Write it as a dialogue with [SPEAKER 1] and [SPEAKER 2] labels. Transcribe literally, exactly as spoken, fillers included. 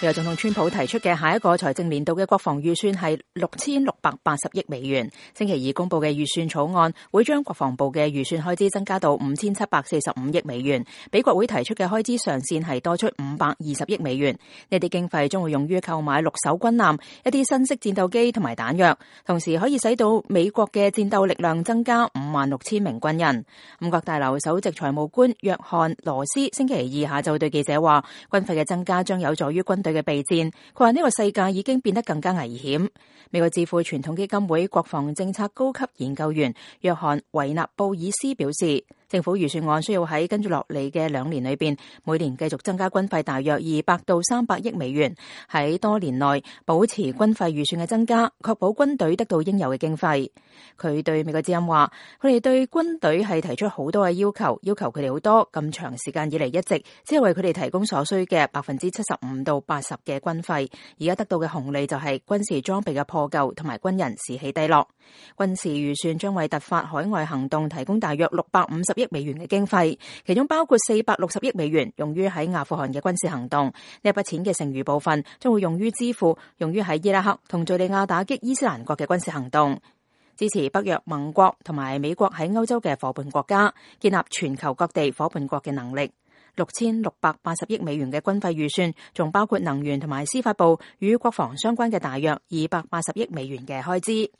[SPEAKER 1] 美國總統川普提出嘅下一個財政年度嘅國防預算係六千六百八十億美元。星期二公布嘅預算草案會將國防部嘅預算開支增加到五千七百四十五億美元，比國會提出嘅開支上限係多出五百二十億美元。呢啲經費將會用於購買六艘軍艦、一啲新式戰鬥機同埋彈藥，同時可以使到美國嘅戰鬥力量增加五萬六千名軍人。五角大樓首席財務官約翰羅斯星期二下晝對記者話，軍費嘅增加將有助於軍隊嘅備戰。佢話呢個世界已經變得更加危險。美國智庫傳統基金會國防政策高級研究員約翰維納布爾斯表示，政府預算案需要喺跟住落嚟嘅兩年裏邊，每年繼續增加軍費大約二百到三百億美元，喺多年內保持軍費預算嘅增加，確保軍隊得到應有嘅經費。佢對美國之音話，佢哋對軍隊係提出好多嘅要求，要求佢哋好多，咁長時間以嚟一直只係為佢哋提供所需嘅百分之七十五到八十嘅軍費，而家得到嘅紅利就係軍事裝備嘅破舊同埋軍人士氣低落。軍事預算將為突發海外行動提供大約六百五十億美元嘅經費，其中包括四百六十億美元用於喺阿富汗嘅軍事行動。呢一筆錢嘅剩餘部分將會用於支付用於喺伊拉克同敘利亞打擊伊斯蘭國嘅軍事行動，支持北約盟國同埋美國喺歐洲嘅夥伴國家，建立全球各地夥伴國嘅能力。六千六百八十億美元嘅軍費預算，仲包括能源同埋司法部與國防相關嘅大約二百八十億美元嘅開支。